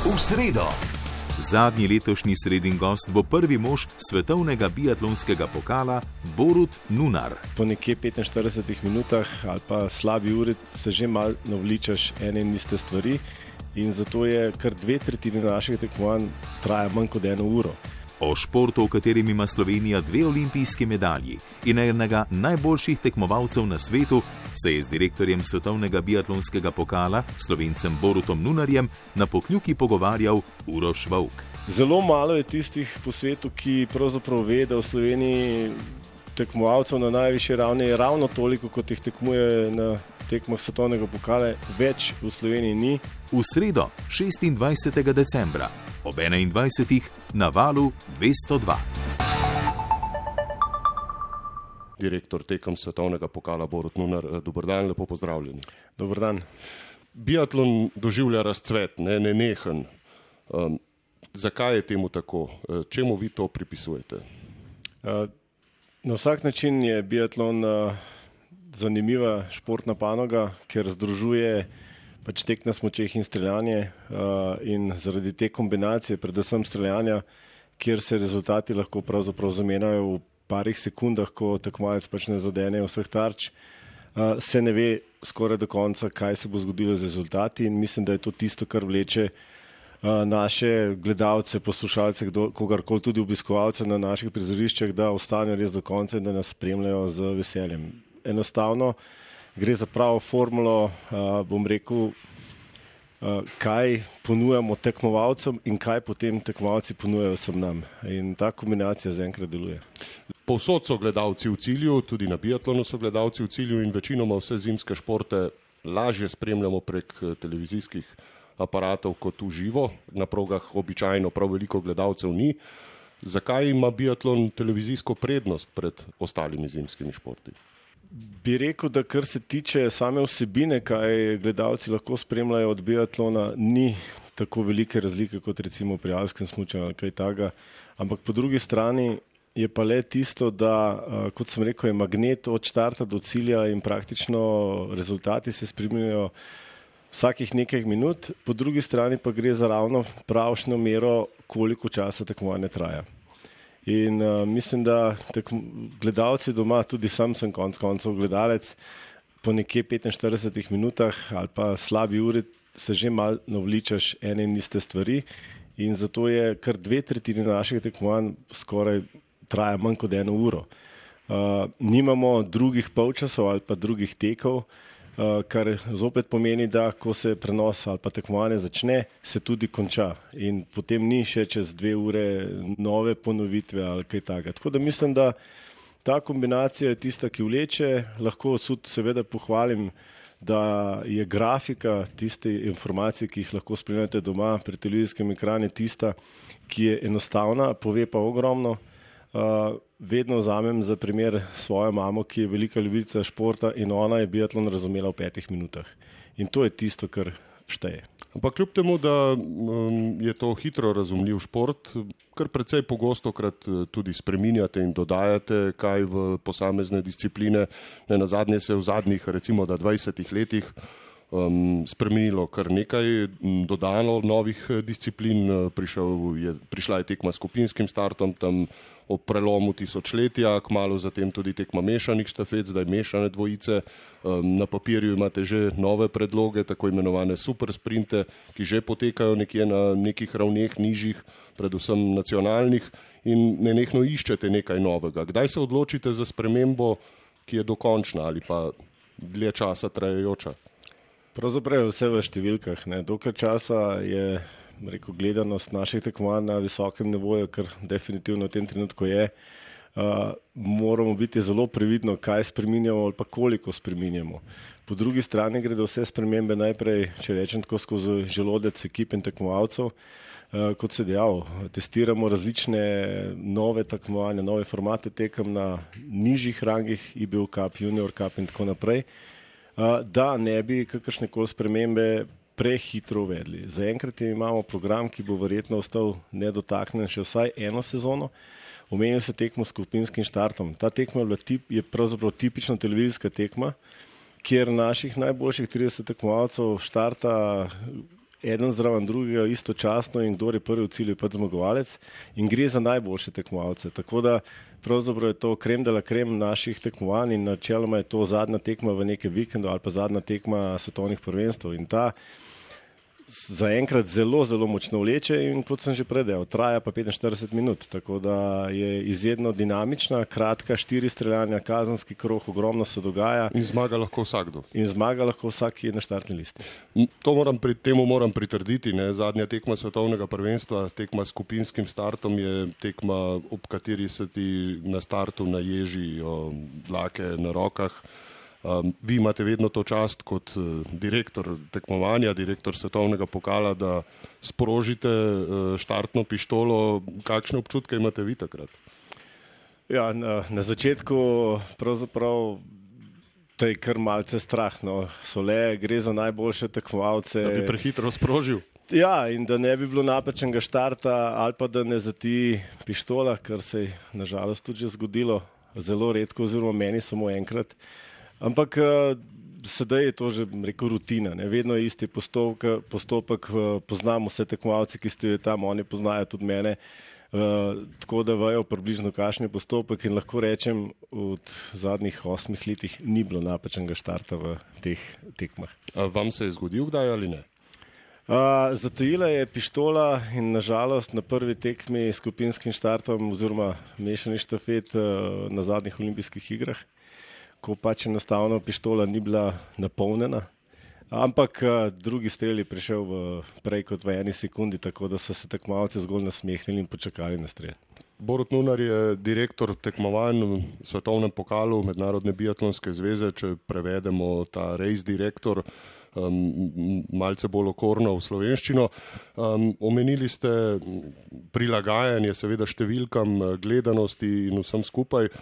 V sredo. Zadnji letošnji sredin gost bo prvi mož svetovnega biatlonskega pokala Borut Nunar. Po nekje 45 minutah ali pa slabi uri se že malo navličaš ene in iste stvari in zato je kar 2/3 naših tekmovanj traja manj kot 1 uro. O športu, v katerem ima Slovenija 2 olimpijski medalji in enega najboljših tekmovalcev na svetu, se je z direktorjem svetovnega biatlonskega pokala, Slovencem Borutom Nunarjem, na Pokljuki pogovarjal Uroš Vovk. Zelo malo je tistih po svetu, ki pravzaprav ve, da v Sloveniji tekmovalcev na najvišji ravni je ravno toliko, kot jih tekmuje na tekmah svetovnega pokala, več v Sloveniji ni. V sredo, 26. decembra, ob 21. na Valu 202. Direktor tekem svetovnega pokala Borut Nunar, dober dan, lepo pozdravljeni. Dober dan. Biatlon doživlja razcvet, nenehen. Zakaj je temu tako? Čemu vi to pripisujete? Na vsak način je biatlon zanimiva športna panoga, ker združuje tek na smučeh in streljanje in zaradi te kombinacije, predvsem streljanja, kjer se rezultati lahko pravzaprav zamenjajo v parih sekundah, ko tekmovalec ne zadene vseh tarč, se ne ve skoraj do konca, kaj se bo zgodilo z rezultati in mislim, da je to tisto, kar vleče naše gledalce, poslušalce, kogarkoli, tudi obiskovalce na naših prizoriščih, da ostanejo res do konca in da nas spremljajo z veseljem. Enostavno gre za pravo formulo, bom rekel, kaj ponujamo tekmovalcem in kaj potem tekmovalci ponujajo vsem nam. In ta kombinacija zaenkrat deluje. Povsod so gledalci v cilju, tudi na biatlonu so gledalci v cilju in večinoma vse zimske športe lažje spremljamo prek televizijskih aparatov kot v živo. Na progah običajno prav veliko gledalcev ni. Zakaj ima biatlon televizijsko prednost pred ostalimi zimskimi športi? Bi rekel, da kar se tiče same vsebine, kaj gledalci lahko spremljajo od biatlona, ni tako velike razlike kot recimo pri alpskem smučanju ali kaj takega. Ampak po drugi strani je pa le tisto, da, kot sem rekel, je magnet od štarta do cilja in praktično rezultati se spremljajo vsakih nekaj minut, po drugi strani pa gre za ravno pravšnjo mero, koliko časa tekmovanje traja. In mislim, da gledalci doma, tudi sam sem konec koncev gledalec, po nekje 45 minutah ali pa slabi uri se že malo navličaš ene in iste stvari in zato je kar 2/3 naših tekmovanj skoraj traja manj kot 1 uro. Nimamo drugih polčasov ali pa drugih tekov, kar zopet pomeni, da ko se prenos ali pa tekmovanje začne, se tudi konča in potem ni še čez 2 ure nove ponovitve ali kaj takega. Tako da mislim, da ta kombinacija je tista, ki vleče. Lahko tudi seveda pohvalim, da je grafika tiste informacije, ki jih lahko spremljate doma pri televizijskem ekranu, tista, ki je enostavna, pove pa ogromno. Vedno vzamem za primer svojo mamo, ki je velika ljubica športa in ona je biatlon razumela v 5 minutah. In to je tisto, kar šteje. Ampak kljub temu, da je to hitro razumljiv šport, kar precej pogostokrat tudi spreminjate in dodajate kaj v posamezne discipline. Nenazadnje se je v zadnjih recimo 20 letih spremenilo kar nekaj, dodano novih disciplin, prišla je tekma s skupinskim startom, tam ob prelomu tisočletja, kmalu zatem tudi tekma mešanih štafet, zdaj mešane dvojice. Na papirju imate že nove predloge, tako imenovane super sprinte, ki že potekajo nekje na nekih ravneh nižjih, predvsem nacionalnih, in nenehno iščete nekaj novega. Kdaj se odločite za spremembo, ki je dokončna ali pa dlje časa trajajoča? Pravzaprav je vse v številkah. Dokaj časa je gledanost naših tekmovanj na visokem nivoju, kar definitivno v tem trenutku je. Moramo biti zelo previdno, kaj spreminjamo ali pa koliko spreminjamo. Po drugi strani gre vse spremembe najprej, če rečem tako, skozi želodec ekip in tekmovalcev. Kot se dejal, testiramo različne nove tekmovanja, nove formate tekem na nižjih rangih, IBU Cup, Junior Cup in tako naprej, da ne bi kakršnekoli spremembe prehitro uvedli. Zaenkrat imamo program, ki bo verjetno ostal nedotaknjen še vsaj 1 sezono. Omenili so tekmo s skupinskim štartom. Ta tekma je pravzaprav tipična televizijska tekma, kjer naših najboljših 30 tekmovalcev štarta eden zraven drugega istočasno in kdor je prvi v cilju, je pač zmagovalec in gre za najboljše tekmovalce. Tako da pravzaprav je to krem de la krem naših tekmovanj in načeloma je to zadnja tekma v nekem vikendu ali pa zadnja tekma svetovnih prvenstv in ta zaenkrat zelo, zelo močno vleče in kot sem že predel, traja pa 45 minut, tako da je izjedno dinamična, kratka, 4 streljanja, kazenski krog, ogromno se dogaja. In zmaga lahko vsakdo. In zmaga lahko vsak, ki je na štartni listi. Temu moram pritrditi, ne? Zadnja tekma svetovnega prvenstva, tekma s skupinskim startom je tekma, ob kateri se ti na startu naježijo dlake na rokah. Vi imate vedno to čast kot direktor tekmovanja, direktor svetovnega pokala, da sprožite štartno pištolo. Kakšne občutke imate vi takrat? Ja, na začetku pravzaprav to je kar malce strah. No. Gre za najboljše tekmovalce. Da bi prehitro sprožil? Ja, in da ne bi bilo napačnega štarta ali pa da ne zati pištola, kar se je nažalost tudi že zgodilo. Zelo redko, oziroma meni samo enkrat. Ampak sedaj je to že rekel rutina, ne? Vedno je isti postopek, poznamo vse tekmovalce, ki ste tam, oni poznajo tudi mene, tako da vejo približno kakšen je postopek in lahko rečem, v zadnjih 8 letih ni bilo napačnega štarta v teh tekmah. Vam se je zgodil kdaj ali ne? Zatajila je pištola in nažalost na prvi tekmi s skupinskim štartom oziroma mešani štafet na zadnjih olimpijskih igrah, ko pač enostavno pištola ni bila napolnjena, ampak drugi strel je prišel prej kot v 1 sekundi, tako da so se tekmovalci zgolj nasmehnili in počakali na strel. Borut Nunar je direktor tekmovanj v svetovnem pokalu Mednarodne biatlonske zveze, če prevedemo ta race direktor, malce bolj okorno v slovenščino. Omenili ste prilagajanje seveda številkam, gledanosti in vsem skupaj.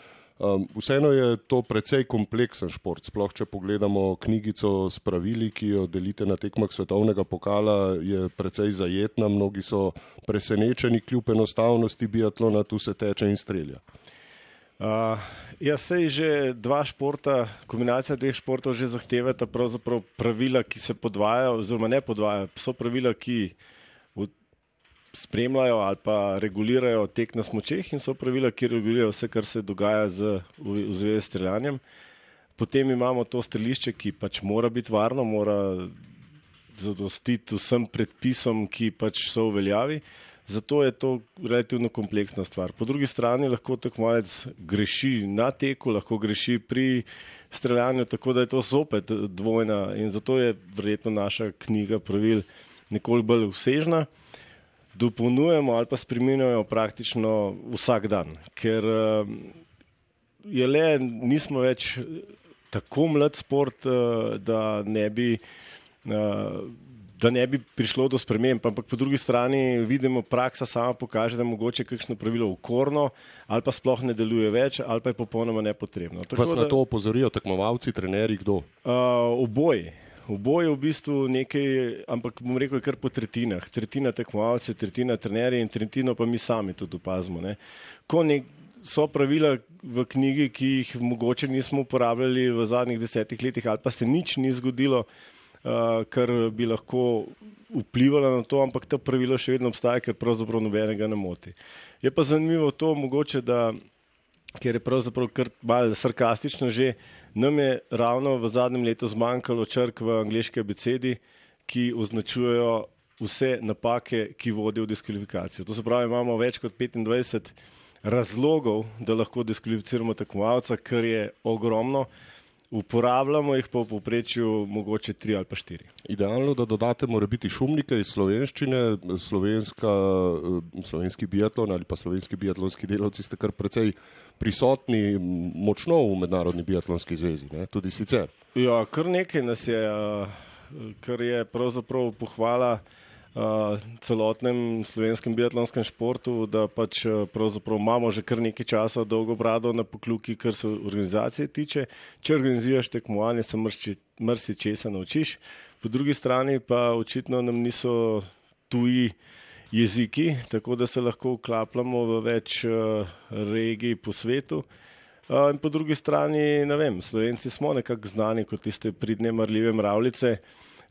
Vseeno je to precej kompleksen šport, sploh če pogledamo knjigico s pravili, ki jo delite na tekmah svetovnega pokala, je precej zajetna, mnogi so presenečeni kljub enostavnosti biatlona, tu se teče in strelja. Sej že dva športa, kombinacija dveh športov že zahtevata pravzaprav pravila, ki se podvajajo, oziroma ne podvajajo, so pravila, ki spremljajo ali pa regulirajo tek na smučeh in so pravila, ki regulirajo vse, kar se dogaja v zvezi s streljanjem. Potem imamo to strelišče, ki pač mora biti varno, mora zadostiti vsem predpisom, ki pač so v veljavi. Zato je to relativno kompleksna stvar. Po drugi strani lahko tekmovalec greši na teku, lahko greši pri streljanju, tako da je to zopet dvojna in zato je verjetno naša knjiga pravil nekoliko bolj vsežna. Dopolnjujemo ali pa spreminjajo praktično vsak dan, ker nismo več tako mlad šport, da ne bi prišlo do sprememb, ampak po drugi strani vidimo, praksa sama pokaže, da je mogoče kakšno pravilo okorno ali pa sploh ne deluje več ali pa je popolnoma nepotrebno. Vas na to opozorijo tekmovalci, trenerji, kdo? Oboje v bistvu nekaj, ampak bom rekel, je kar po tretjinah. Tretjina tekmovalce, tretjina trenerji in tretjino pa mi sami tudi opazimo. Ne. So pravila v knjigi, ki jih mogoče nismo uporabljali v zadnjih 10 letih ali pa se nič ni zgodilo, kar bi lahko vplivalo na to, ampak to pravilo še vedno obstaja, ker pravzaprav nobenega ne moti. Je pa zanimivo to mogoče, ker je pravzaprav kar malo sarkastično že, nam je ravno v zadnjem letu zmanjkalo črk v angleški abecedi, ki označujejo vse napake, ki vodijo v diskvalifikacijo. To se pravi, imamo več kot 25 razlogov, da lahko diskvalificiramo tekmovalca, kar je ogromno. Uporabljamo jih pa v povprečju mogoče 3 ali pa 4. Idealno, da dodate morebiti šumnike iz slovenščine, slovenski biatlon ali pa slovenski biatlonski delavci ste kar precej prisotni močno v Mednarodni biatlonski zvezi, ne? Tudi sicer. Ja, kar nekaj nas je, kar je pravzaprav pohvala celotnem slovenskem biatlonskem športu, da pač pravzaprav imamo že kar nekaj časa dolgo brado na pokluki, kar se organizacije tiče. Če organiziraš tekmovanje, se marsičesa naučiš. Po drugi strani pa očitno nam niso tuji jeziki, tako da se lahko vklapljamo v več regij po svetu. In po drugi strani, ne vem, Slovenci smo nekako znani kot tiste pridne marljive mravljice,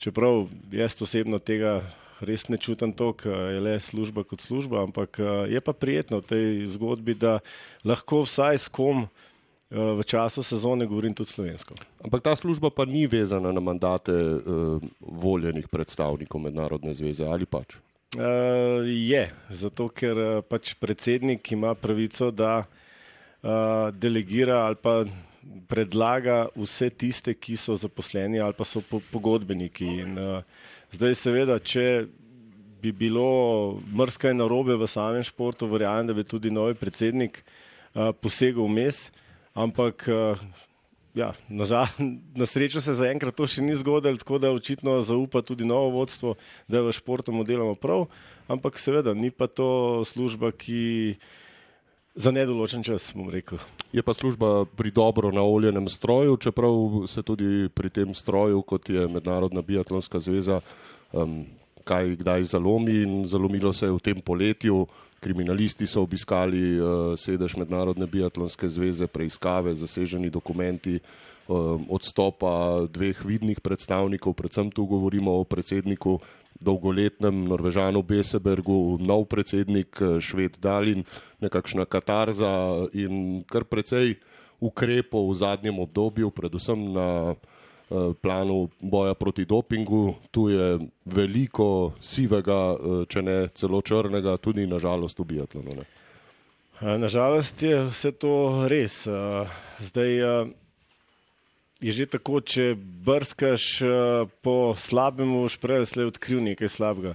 čeprav jaz osebno tega res ne čutim to, ker je le služba kot služba, ampak je pa prijetno v tej zgodbi, da lahko vsaj s kom v času sezone govorim tudi slovensko. Ampak ta služba pa ni vezana na mandate voljenih predstavnikov Mednarodne zveze, ali pač? Je, zato ker pač predsednik ima pravico, da delegira ali pa predlaga vse tiste, ki so zaposleni ali pa so pogodbeniki. In zdaj seveda, če bi bilo marsikaj narobe v samem športu, verjamem, da bi tudi novi predsednik posegel vmes, ampak na srečo se zaenkrat to še ni zgodilo, tako da očitno zaupa tudi novo vodstvo, da v športu mu delamo prav, ampak seveda ni pa to služba, ki za nedoločen čas, bom rekel. Je pa služba pri dobro naoljenem stroju, čeprav se tudi pri tem stroju, kot je Mednarodna biatlonska zveza, kaj kdaj zalomi, in zalomilo se je v tem poletju. Kriminalisti so obiskali sedež Mednarodne biatlonske zveze, preiskave, zaseženi dokumenti, odstopa 2 vidnih predstavnikov, predvsem tu govorimo o predsedniku, dolgoletnem Norvežanu Besebergu, nov predsednik Šved Dalin, nekakšna katarza in kar precej ukrepov v zadnjem obdobju, predvsem na planu boja proti dopingu. Tu je veliko sivega, če ne celo črnega, tudi nažalost v biatlonu. Nažalost je vse to res. Zdaj je že tako, če brskaš po slabemu, šprej slej odkril nekaj slabega.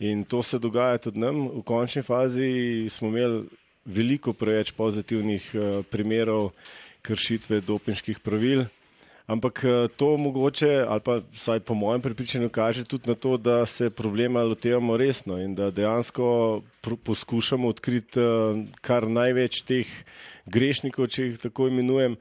In to se dogaja tudi nam. V končni fazi smo imeli veliko preveč pozitivnih primerov kršitve dopinških pravil. Ampak to mogoče, ali pa vsaj po mojem prepričanju, kaže tudi na to, da se problema lotevamo resno in da dejansko poskušamo odkriti kar največ teh grešnikov, če jih tako imenujem.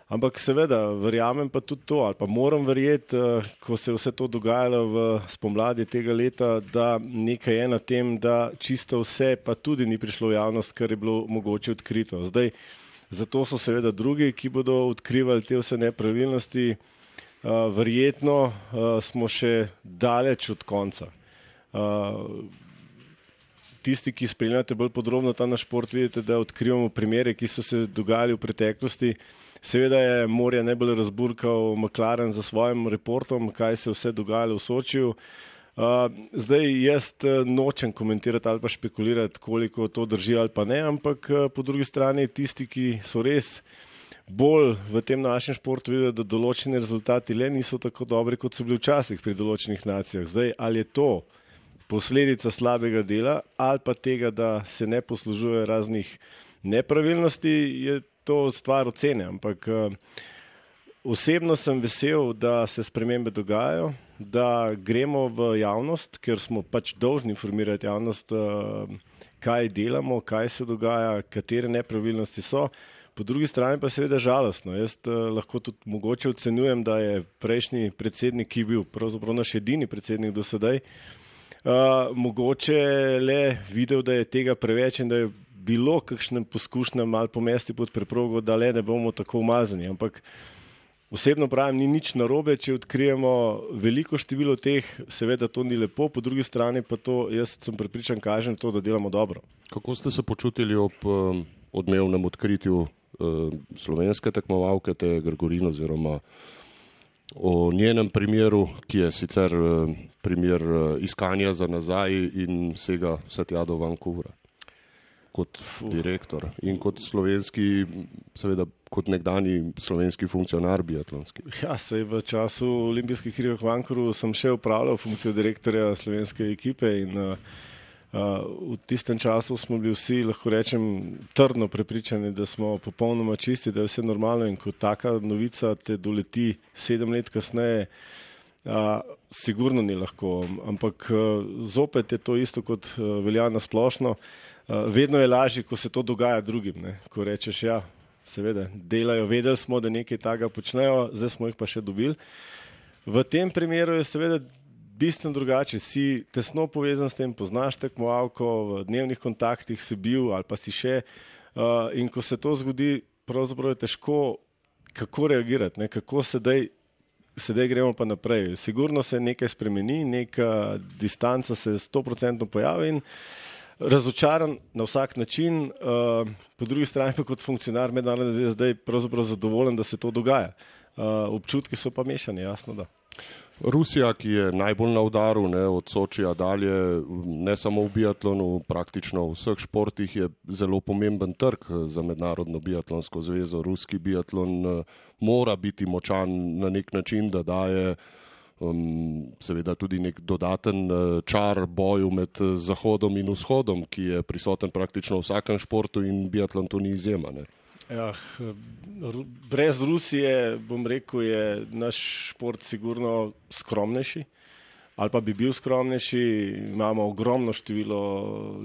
Ampak seveda, verjamem pa tudi to, ali pa moram verjeti, ko se je vse to dogajalo v spomladi tega leta, da nekaj je na tem, da čisto vse pa tudi ni prišlo v javnost, kar je bilo mogoče odkrito. Zdaj, zato so seveda drugi, ki bodo odkrivali te vse nepravilnosti. Verjetno smo še daleč od konca. Tisti, ki spremljate bolj podrobno ta naš šport, vidite, da odkrivamo primere, ki so se dogajali v preteklosti. Seveda je morje najbolj razburkal McLaren za svojim reportom, kaj se vse dogajalo v Sočiju. Zdaj jaz nočem komentirati ali pa špekulirati, koliko to drži ali pa ne, ampak po drugi strani tisti, ki so res bolj v tem našem športu videli, da določeni rezultati le niso tako dobri, kot so bili včasih pri določenih nacijah. Zdaj, ali je to posledica slabega dela ali pa tega, da se ne poslužuje raznih nepravilnosti, je to stvar ocene, ampak osebno sem vesel, da se spremembe dogajajo, da gremo v javnost, ker smo pač dolžni informirati javnost, kaj delamo, kaj se dogaja, katere nepravilnosti so. Po drugi strani pa seveda žalostno. Jaz lahko tudi mogoče ocenjujem, da je prejšnji predsednik, ki je bil pravzaprav naš edini predsednik do sedaj, mogoče le videl, da je tega preveč in da je bilo kakšnem poskušnjem malo pomesti pod preprogo, da le ne bomo tako umazani. Ampak osebno pravim, ni nič narobe, če odkrijemo veliko število teh, seveda to ni lepo, po drugi strani pa to, jaz sem prepričan, kažem to, da delamo dobro. Kako ste se počutili ob odmevnem odkritju slovenske tekmovalke Teje Gregorin oziroma o njenem primeru, ki je sicer primer iskanja za nazaj in sega vse tja do Vancouvra? Kot direktor in kot slovenski, seveda kot nekdani slovenski funkcionar biatlonski. Ja, sej v času olimpijskih iger v Vancouvru sem še upravljal funkcijo direktorja slovenske ekipe in v tistem času smo bili vsi, lahko rečem, trdno prepričani, da smo popolnoma čisti, da je vse normalno in ko taka novica te doleti 7 let kasneje, sigurno ni lahko, ampak zopet je to isto kot velja na splošno. Vedno je lažje, ko se to dogaja drugim, ne? Ko rečeš, ja, seveda, delajo, vedeli smo, da nekaj takega počnejo, zdaj smo jih pa še dobili. V tem primeru je seveda bistveno drugače, si tesno povezan s tem, poznaš tekmovalko, v dnevnih kontaktih si bil ali pa si še in ko se to zgodi, pravzaprav je težko kako reagirati, ne? Kako sedaj sedaj gremo pa naprej. Sigurno se nekaj spremeni, neka distanca se 100% pojavi in razočaran na vsak način, po drugi strani pa kot funkcionar mednarodne zveze zdaj pravzaprav zadovoljen, da se to dogaja. Občutki so pa mešani, jasno da. Rusija, ki je najbolj na udaru, od Sočija dalje, ne samo v biatlonu, praktično v vseh športih je zelo pomemben trg za mednarodno biatlonsko zvezo. Ruski biatlon mora biti močan na nek način, da daje seveda tudi nek dodaten čar boju med Zahodom in Vzhodom, ki je prisoten praktično v vsakem športu in biatlon to ni izjema. Ja, brez Rusije, bom rekel, je naš šport sigurno skromnejši, ali pa bi bil skromnejši. Imamo ogromno število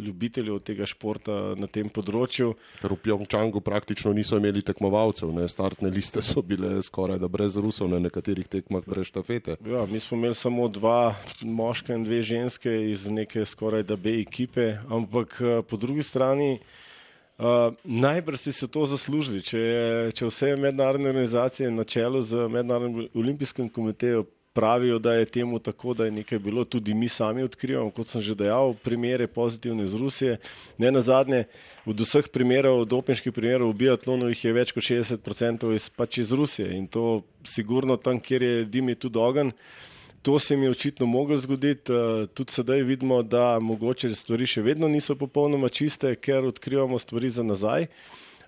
ljubiteljev tega športa na tem področju. Ker v Pjongčangu praktično niso imeli tekmovalcev, startne liste so bile skoraj da brez Rusov na nekaterih tekmah brez štafete. Ja, mi smo imeli samo 2 moška in 2 ženske iz neke skoraj da B ekipe, ampak po drugi strani najbrž si se to zaslužili, če vse mednarodne organizacije na čelu z Mednarodnim olimpijskim komitejem pravijo, da je temu tako, da je nekaj bilo, tudi mi sami odkrivamo, kot sem že dejal, primere pozitivne iz Rusije. Ne nazadnje, od vseh primerov, dopinških primerov v biatlonu jih je več kot 60% pač iz Rusije in to sigurno tam, kjer je dim, je tudi ogenj. To se mi je očitno moglo zgoditi, tudi sedaj vidimo, da mogoče stvari še vedno niso popolnoma čiste, ker odkrivamo stvari za nazaj,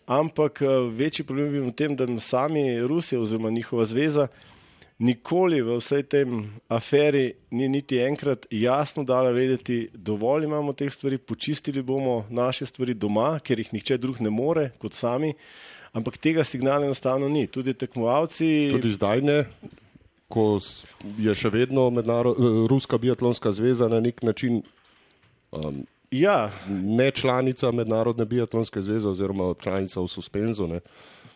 ampak večji problem je v tem, da sami Rusija oziroma njihova zveza nikoli v vsej tem aferi ni niti enkrat jasno dala vedeti, dovolj imamo teh stvari, počistili bomo naše stvari doma, ker jih nihče drug ne more kot sami, ampak tega signala enostavno ni. Tudi tekmovalci... Tudi zdaj ne? Ko je še vedno Ruska biatlonska zveza na nek način ne članica Mednarodne biatlonske zveze oziroma članica v suspenzu.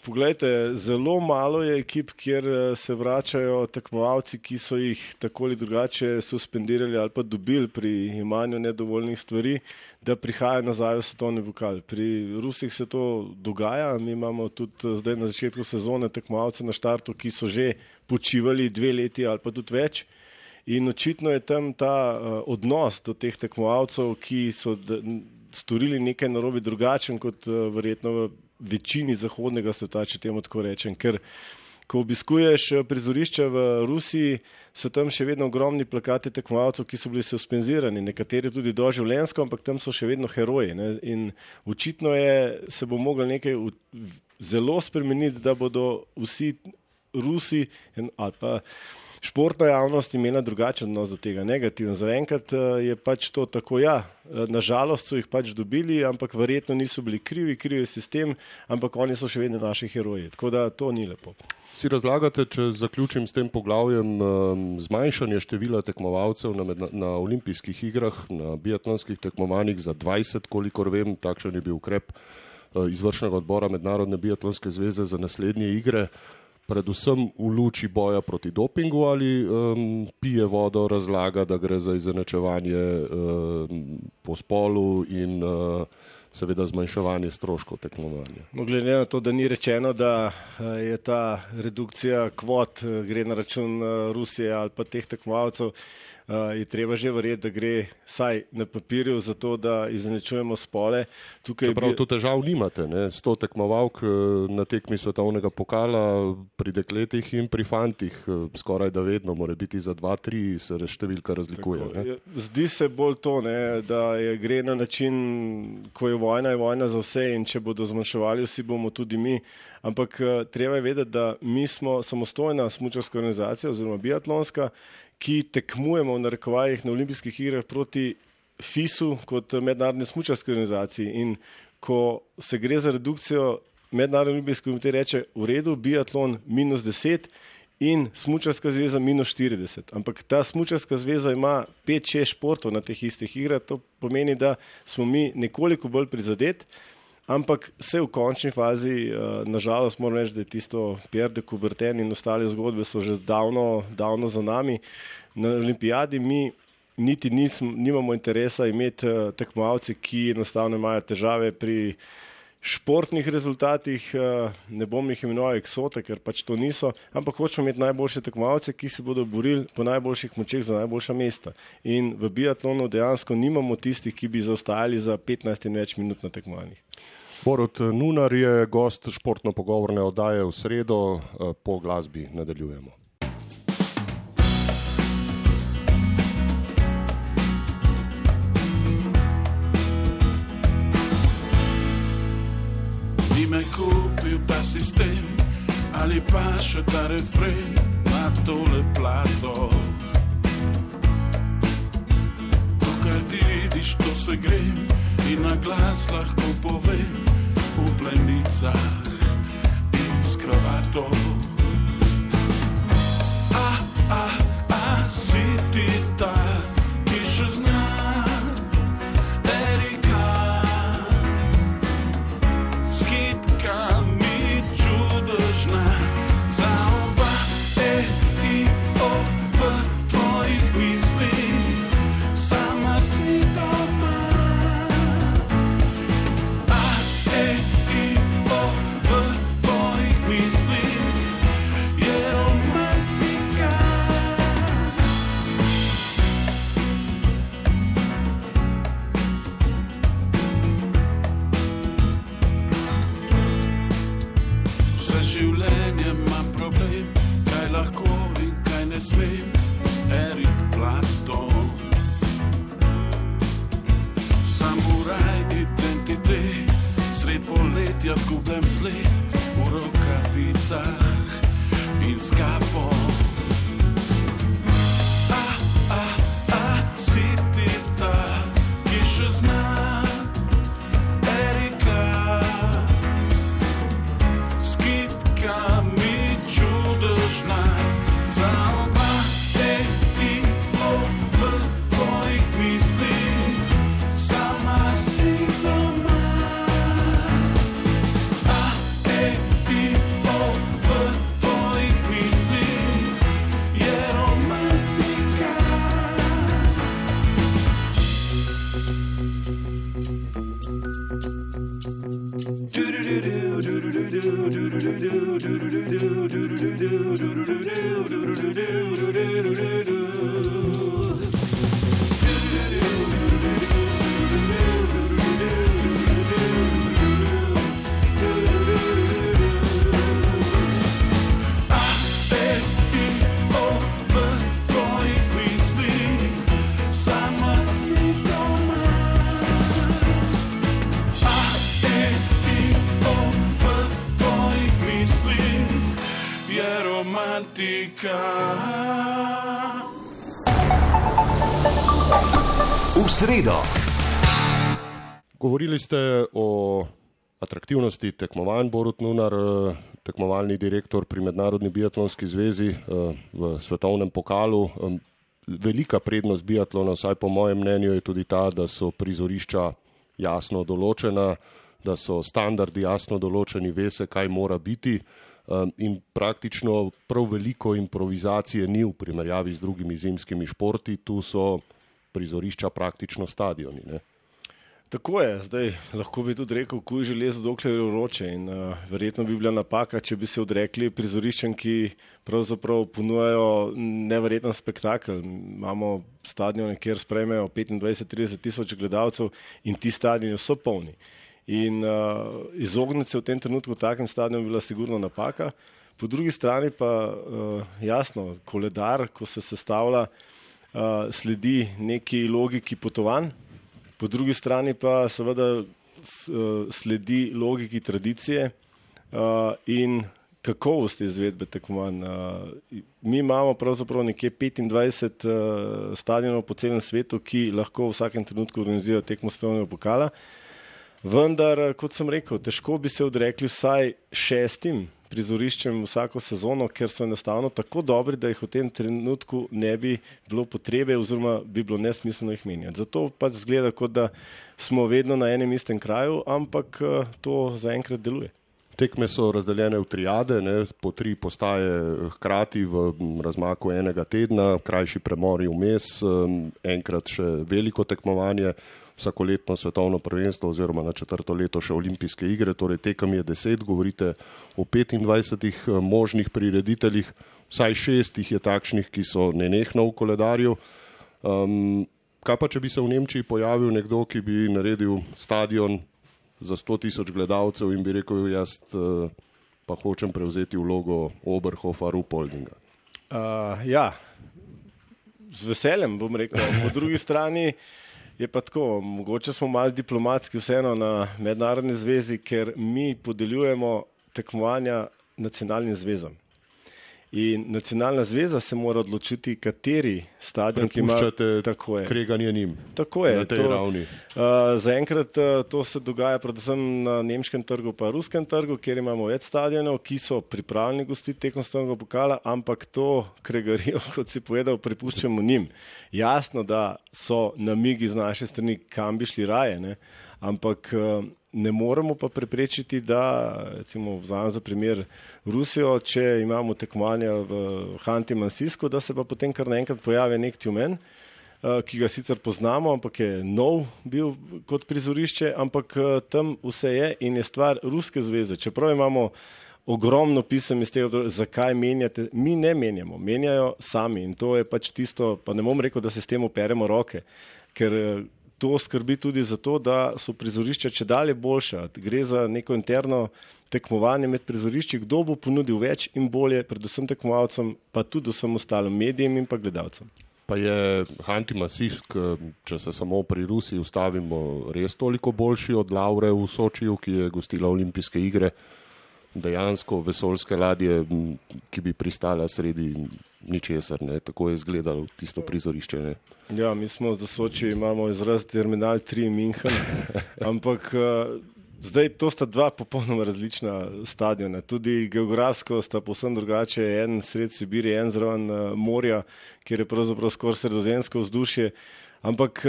Poglejte, zelo malo je ekip, kjer se vračajo tekmovalci, ki so jih tako ali drugače suspendirali ali pa dobili pri imanju nedovoljnih stvari, da prihajajo nazaj v svetovni pokal. Pri Rusih se to dogaja, mi imamo tudi zdaj na začetku sezone tekmovalce na štartu, ki so že počivali 2 leti ali pa tudi več. In očitno je tam ta odnos do teh tekmovalcev, ki so storili nekaj narobe drugačen kot verjetno v večini zahodnega sveta, če temu tako rečem. Ker ko obiskuješ prizorišča v Rusiji, so tam še vedno ogromni plakati tekmovalcev, ki so bili suspenzirani, nekateri tudi doživljenjsko, ampak tam so še vedno heroji. In očitno se bo moglo nekaj zelo spremeniti, da bodo vsi Rusi ali pa športna javnost imela drugačen odnos do tega, negativen. Zaenkrat je pač to tako, nažalost so jih pač dobili, ampak verjetno niso bili krivi je sistem, ampak oni so še vedno naši heroji. Tako da to ni lepo. Si razlagate, če zaključim s tem poglavjem, zmanjšanje števila tekmovalcev na olimpijskih igrah, na biatlonskih tekmovanjih za 20, kolikor vem, takšen je bil ukrep izvršnega odbora Mednarodne biatlonske zveze za naslednje igre, predvsem v luči boja proti dopingu ali pije vodo, razlaga, da gre za izenačevanje po spolu in seveda zmanjševanje stroškov tekmovanja. Glede na to, da ni rečeno, da je ta redukcija kvot gre na račun Rusije ali pa teh tekmovalcev, je treba že verjeti, da gre saj na papirju za to, da izenačujemo spole. Čeprav to težav nimate, 100 tekmovalk na tekmi svetovnega pokala pri dekletih in pri fantih, skoraj da vedno mora biti za 2-3 se številka razlikuje. Zdi se bolj to, da gre na način, ko je vojna za vse in če bodo zmanjševali vsi, bomo tudi mi. Ampak treba je vedeti, da mi smo samostojna smučarska organizacija oziroma biatlonska, ki tekmujemo v narekovajih na olimpijskih igrah proti FIS-u kot mednarodni smučarski organizaciji. In ko se gre za redukcijo, Mednarodni olimpijski komitej reče v redu, biatlon -10 in smučarska zveza -40. Ampak ta smučarska zveza ima 5-6 športov na teh istih igrah, to pomeni, da smo mi nekoliko bolj prizadeti. Ampak se v končni fazi, nažalost moram reči, da je tisto Pierre de Coubertin in ostale zgodbe so že davno za nami. Na olimpijadi mi niti nimamo interesa imeti tekmovalce, ki enostavno imajo težave pri športnih rezultatih, ne bom jih imenoval eksote, ker pač to niso, ampak hočemo imeti najboljše tekmovalce, ki se bodo borili po najboljših močeh za najboljša mesta. In v biatlonu dejansko nimamo tistih, ki bi zaostajali za 15 in več minut na tekmovanjih. Borut Nunar je gost športno-pogovorne oddaje v sredo, po glasbi nadaljujemo. Me kupil ta sistem ali pa še ta refren na tole plato. To, kar vidiš, to se grem in na glas lahko povem v plenicah in s kravato. Si ti ta, ki še zna zgubljam sled v rokavicah in s kapo. Si ti ta, ki še zna Erika, s kitkami čudežna, za oba v tvojih mislih, sama si doma. V sredo. Govorili ste o atraktivnosti tekmovanj. Borut Nunar, tekmovalni direktor pri Mednarodni biatlonski zvezi v svetovnem pokalu. Velika prednost biatlona, vsaj po mojem mnenju, je tudi ta, da so prizorišča jasno določena, da so standardi jasno določeni, ve se, kaj mora biti. In praktično prav veliko improvizacije ni v primerjavi z drugimi zimskimi športi, tu so prizorišča praktično stadioni. Ne? Tako je, zdaj lahko bi tudi rekel, kuj železo, dokler je vroče, in verjetno bi bila napaka, če bi se odrekli prizoriščem, ki pravzaprav ponujajo neverjeten spektakel. Imamo stadione, kjer sprejmejo 25-30 tisoč gledalcev in ti stadioni so polni. In izogniti se v tem trenutku takem stadionu bila sigurno napaka. Po drugi strani pa jasno, koledar, ko se sestavlja, sledi neki logiki potovanj, po drugi strani pa seveda sledi logiki tradicije in kakovosti izvedbe tekmovanj. Mi imamo pravzaprav nekje 25 stadionov po celem svetu, ki lahko v vsakem trenutku organizirajo tekmo svetovnega pokala. Vendar, kot sem rekel, težko bi se odrekli vsaj 6 prizoriščem vsako sezono, ker so enostavno tako dobri, da jih v tem trenutku ne bi bilo potrebe oziroma bi bilo nesmiselno jih menjati. Zato pač zgleda, kot da smo vedno na enem istem kraju, ampak to zaenkrat deluje. Tekme so razdeljene v triade, ne, po 3 postaje hkrati v razmaku enega tedna, krajši premori vmes, enkrat še veliko tekmovanje. vsakoletno svetovno prvenstvo oziroma na 4. leto še olimpijske igre, torej tekem je 10, govorite o 25 možnih prirediteljih, vsaj 6 jih je takšnih, ki so nenehno v koledarju. Kaj pa, če bi se v Nemčiji pojavil nekdo, ki bi naredil stadion za 100.000 gledalcev in bi rekel, jaz pa hočem prevzeti vlogo Oberhofa-Ruhpoldinga? Ja, z veseljem bom rekel. Po drugi strani je pa tako, mogoče smo malo diplomatski vseeno na mednarodni zvezi, ker mi podeljujemo tekmovanja nacionalnim zvezam. In nacionalna zveza se mora odločiti, kateri stadion, ki ima tako je. Kreganje njim. Tako je. Na tej ravni. Zaenkrat to se dogaja predvsem na nemškem trgu pa ruskem trgu, kjer imamo več stadionov, ki so pripravljeni gostiti tekom svetovnega pokala, ampak to kregarijo, kot si povedal, prepuščamo njim. Jasno, da so namigi z naše strani, kam bi šli raje, ne? Ampak ne moremo pa preprečiti, da, recimo, vzamem za primer Rusijo, če imamo tekmovanja v Hanti-Mansijsku, da se pa potem kar naenkrat pojavi nek Tjumen, ki ga sicer poznamo, ampak je nov bil kot prizorišče, ampak tam vse je in je stvar Ruske zveze. Čeprav imamo ogromno pisem iz tega, zakaj menjate, mi ne menjamo, menjajo sami in to je pač tisto, pa ne bom rekel, da se s tem operemo roke, ker to skrbi tudi za to, da so prizorišča čedalje boljša. Gre za neko interno tekmovanje med prizorišči, kdo bo ponudil več in bolje, predvsem tekmovalcem, pa tudi vsem ostalim medijem in pa gledalcem. Pa je Hanti-Mansijsk, če se samo pri Rusiji ustavimo, res toliko boljši od Lavre v Sočiju, ki je gostila olimpijske igre, dejansko vesoljske ladje, ki bi pristala sredi ničesar, ne? Tako je izgledalo tisto prizorišče. Ne? Ja, mi smo za Soči, imamo izraz Terminal 3 München, ampak zdaj to sta dva popolnoma različna stadiona. Tudi geografsko sta povsem drugače, en sred Sibirije, en zraven morja, kjer je pravzaprav skoraj sredozemsko vzdušje, ampak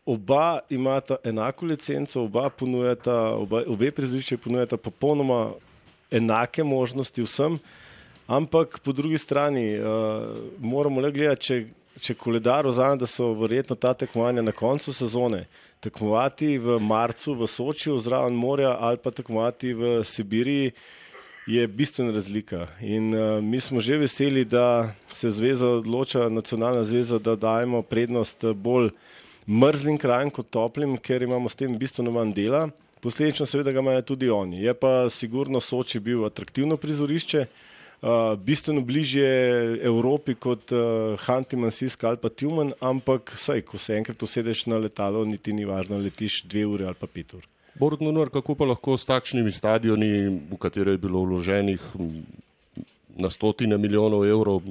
oba imata enako licenco, obe prizorišče ponujata popolnoma enake možnosti vsem, ampak po drugi strani moramo le gledati, če koledar vzame, da so verjetno ta tekmovanja na koncu sezone, tekmovati v marcu v Sočiju zraven morja ali pa tekmovati v Sibiriji je bistvena razlika. In mi smo že veseli, da se zveza odloča, nacionalna zveza, da dajemo prednost bolj mrzlim krajem kot toplim, ker imamo s tem bistveno manj dela. Posledično seveda ga imajo tudi oni. Je pa sigurno Soči bil atraktivno prizorišče, bistveno bližje Evropi kot Hanti-Mansijsk ali pa Tjumen, ampak saj, ko se enkrat usedeš na letalo, niti ni važno, letiš 2 ure ali pa 5 ur. Borut Nunar, kako pa lahko s takšnimi stadioni, v katere je bilo vloženih na 100 milijonov evrov,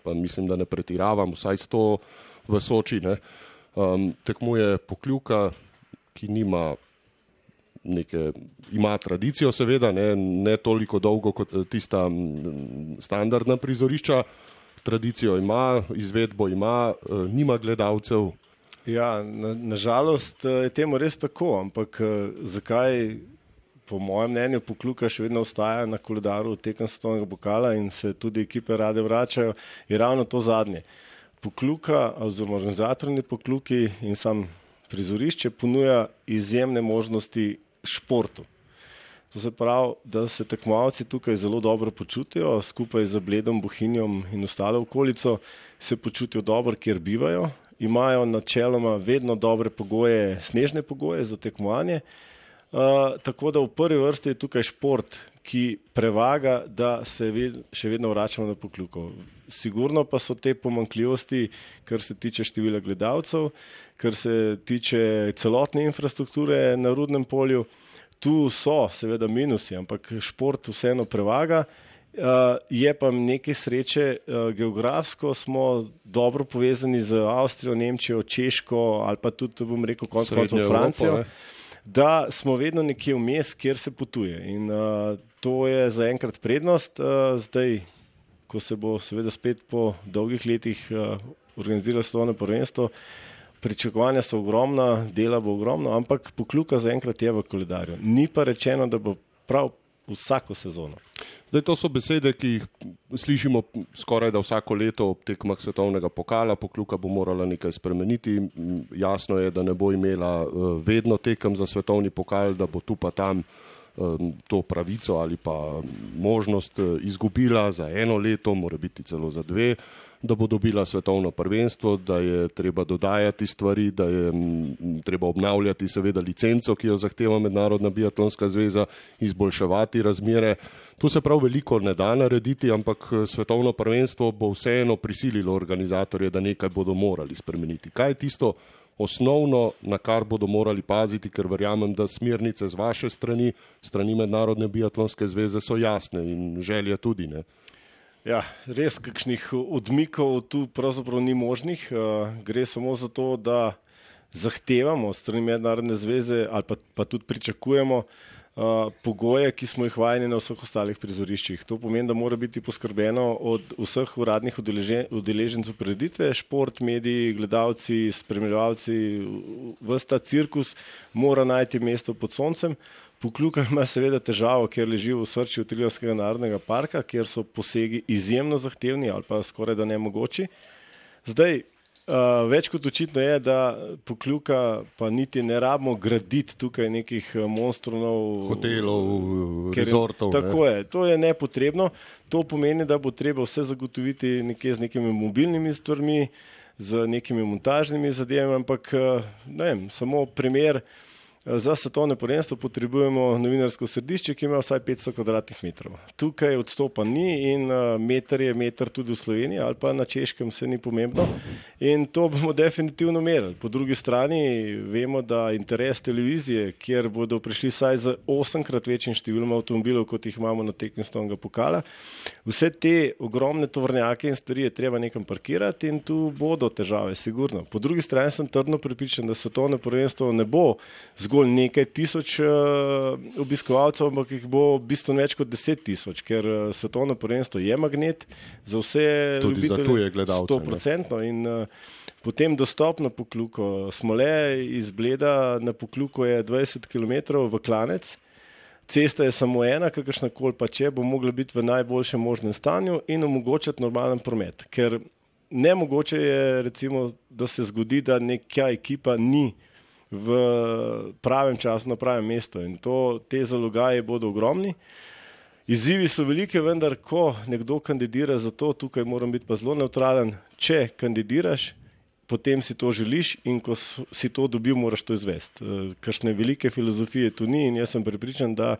pa mislim, da ne pretiravam, vsaj 100 v Soči, ne, tekmuje Pokljuka, ki ima tradicijo seveda, ne toliko dolgo kot tista standardna prizorišča, tradicijo ima, izvedbo ima, nima gledalcev. Ja, nažalost je temu res tako, ampak zakaj po mojem mnenju Pokljuka še vedno ostaja na koledaru tekem svetovnega pokala in se tudi ekipe rade vračajo, je ravno to zadnje. Pokljuka, oziroma organizatorni Pokljuki in sam prizorišče ponuja izjemne možnosti športu. To se pravi, da se tekmovalci tukaj zelo dobro počutijo, skupaj z Bledom, Bohinjom in ostalo okolico se počutijo dobro, kjer bivajo, imajo načeloma vedno dobre pogoje, snežne pogoje za tekmovanje, tako da v prvi vrsti je tukaj šport, ki prevaga, da se še vedno vračamo na Pokljuko. Sigurno pa so te pomanjkljivosti, kar se tiče števila gledalcev, kar se tiče celotne infrastrukture na Rudnem polju. Tu so seveda minusi, ampak šport vseeno prevaga. Je pa nekaj sreče, geografsko smo dobro povezani z Avstrijo, Nemčijo, Češko ali pa tudi, bom rekel, konec Francijo, da smo vedno nekje vmes, kjer se potuje. In to je zaenkrat prednost. Zdaj, ko se bo seveda spet po dolgih letih organiziralo svetovno prvenstvo, pričakovanja so ogromna, dela bo ogromno, ampak Pokljuka zaenkrat je v koledarju. Ni pa rečeno, da bo prav vsako sezono. Zdaj, to so besede, ki jih slišimo skoraj da vsako leto ob tekmah svetovnega pokala. Pokljuka bo morala nekaj spremeniti. Jasno je, da ne bo imela vedno tekem za svetovni pokal, da bo tu pa tam to pravico ali pa možnost izgubila za 1 leto, mora biti celo za 2, da bo dobila svetovno prvenstvo, da je treba dodajati stvari, da je treba obnavljati seveda licenco, ki jo zahteva Mednarodna biatlonska zveza, izboljševati razmere. Tu se prav veliko ne da narediti, ampak svetovno prvenstvo bo vseeno prisililo organizatorje, da nekaj bodo morali spremeniti. Kaj je tisto osnovno, na kar bodo morali paziti, ker verjamem, da smernice z vaše strani Mednarodne biatlonske zveze so jasne in želje tudi, ne? Ja, res kakšnih odmikov tu pravzaprav ni možnih. Gre samo za to, da zahtevamo od strani Mednarodne zveze ali pa tudi pričakujemo pogoje, ki smo jih vajeni na vseh ostalih prizoriščih. To pomeni, da mora biti poskrbeno od vseh uradnih udeležencev prireditve, šport, mediji, gledalci, spremljevalci, ves ta cirkus mora najti mesto pod soncem. Pokljuka ima seveda težavo, ker leži v osrčju Triglavskega narodnega parka, kjer so posegi izjemno zahtevni ali pa skoraj da nemogoči. Zdaj, več kot očitno je, da Pokljuka pa niti ne rabimo graditi tukaj nekih monstronov, hotelov, rezortov. Tako je, to je nepotrebno. To pomeni, da bo treba vse zagotoviti nekje z nekimi mobilnimi stvarmi, z nekimi montažnimi zadevami, ampak ne vem, samo primer. Za svetovno prvenstvo potrebujemo novinarsko središče, ki ima vsaj 500 kvadratnih metrov. Tukaj odstopa ni in meter je meter tudi v Sloveniji ali pa na Češkem, se ni pomembno. In to bomo definitivno merili. Po drugi strani vemo, da interes televizije, kjer bodo prišli vsaj z 8-krat večjim številom avtomobilov, kot jih imamo na tekmi svetovnega pokala, vse te ogromne tovornjake in stvari je treba nekam parkirati in tu bodo težave, sigurno. Po drugi strani sem trdno prepričan, da svetovno prvenstvo ne bo zgolj nekaj tisoč obiskovalcev, ampak jih bo bistveno več kot 10 000, ker svetovno prvenstvo je magnet za vse tudi ljubitelje, za tuje gledalce, 100%. In potem dostop na Pokljuko. Smole iz Bleda na Pokljuko je 20 km v klanec. Cesta je samo ena, kakršnakoli pa če, bo mogla biti v najboljšem možnem stanju in omogočati normalen promet. Ker nemogoče je, recimo, da se zgodi, da neka ekipa ni v pravem času na pravem mestu in te zalogaje bodo ogromni. Izzivi so velike, vendar ko nekdo kandidira za to, tukaj moram biti pa zelo nevtralen, če kandidiraš, potem si to želiš in ko si to dobil, moraš to izvesti. Kakšne velike filozofije tu ni in jaz sem prepričan, da